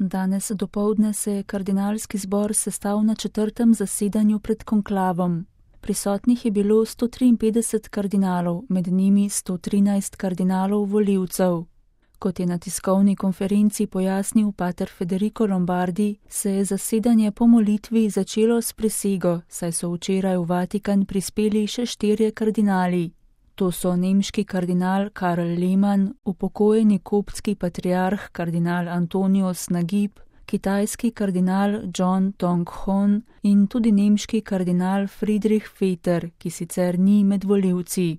Danes dopoldne se je kardinalski zbor sestal na 4. zasedanju pred konklavom. Prisotnih je bilo 153 kardinalov, med njimi 113 kardinalov volivcev. Kot je na tiskovni konferenci pojasnil pater Federico Lombardi, se je zasedanje po molitvi začelo s prisego, saj so včeraj v Vatikan prispeli še 4 kardinali. To so nemški kardinal Karl Lehmann, upokojeni koptski patriarh kardinal Antonius Nagib, kitajski kardinal John Tong-hon in tudi nemški kardinal Friedrich Vetter, ki sicer ni med volivci.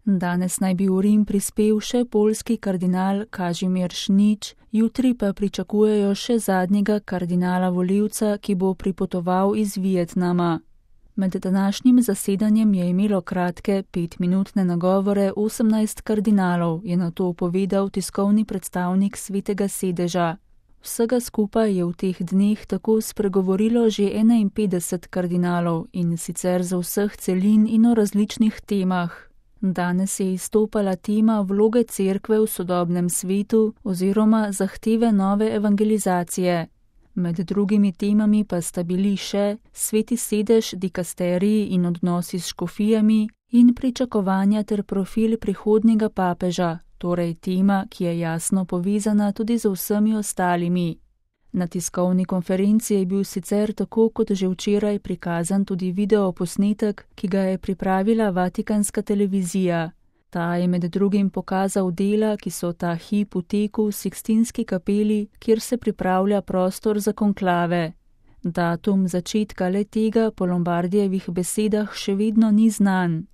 Danes naj bi v Rim prispel še poljski kardinal Kažimir Šnič, jutri pa pričakujejo še zadnjega kardinala volivca, ki bo pripotoval iz Vietnama. Med današnjim zasedanjem je imelo kratke 5-minutne nagovore 18 kardinalov, je nato povedal tiskovni predstavnik Svetega sedeža. Vsega skupaj je v teh dneh tako spregovorilo že 51 kardinalov in sicer za vseh celin in o različnih temah. Danes je izstopala tema vloge cerkve v sodobnem svetu oziroma zahteve nove evangelizacije. Med drugimi temami pa sta bili še Sveti sedež, dikasteriji in odnosi s škofijami in pričakovanja ter profil prihodnjega papeža, torej tema, ki je jasno povezana tudi z vsemi ostalimi. Na tiskovni konferenci je bil sicer tako kot že včeraj prikazan tudi videoposnetek, ki ga je pripravila Vatikanska televizija. Ta je med drugim pokazal dela, ki so ta hip v teku v Sikstinski kapeli, kjer se pripravlja prostor za konklave. Datum začetka le tega po Lombardijevih besedah še vedno ni znan.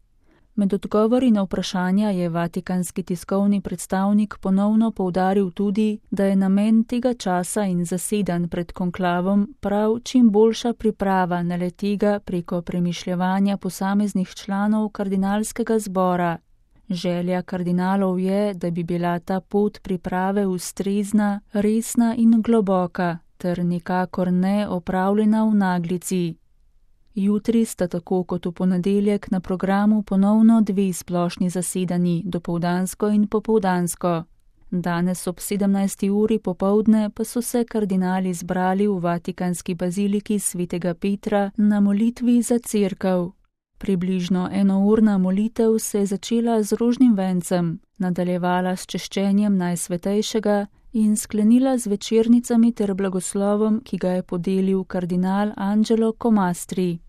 Med odgovori na vprašanja je vatikanski tiskovni predstavnik ponovno poudaril tudi, da je namen tega časa in zasedanj pred konklavom prav čim boljša priprava na le tega preko premišljevanja posameznih članov kardinalskega zbora. Želja kardinalov je, da bi bila ta pot priprave ustrezna, resna in globoka, ter nikakor ne opravljena v naglici. Jutri sta tako kot v ponedeljek na programu ponovno 2 splošni zasedanji, dopoldansko in popoldansko. Danes ob 17. uri popoldne pa so se kardinali zbrali v Vatikanski baziliki Svetega Petra na molitvi za cerkev. Približno enourna molitev se je začela z rožnim vencem, nadaljevala s češčenjem Najsvetejšega in sklenila z večernicami ter blagoslovom, ki ga je podelil kardinal Angelo Comastri.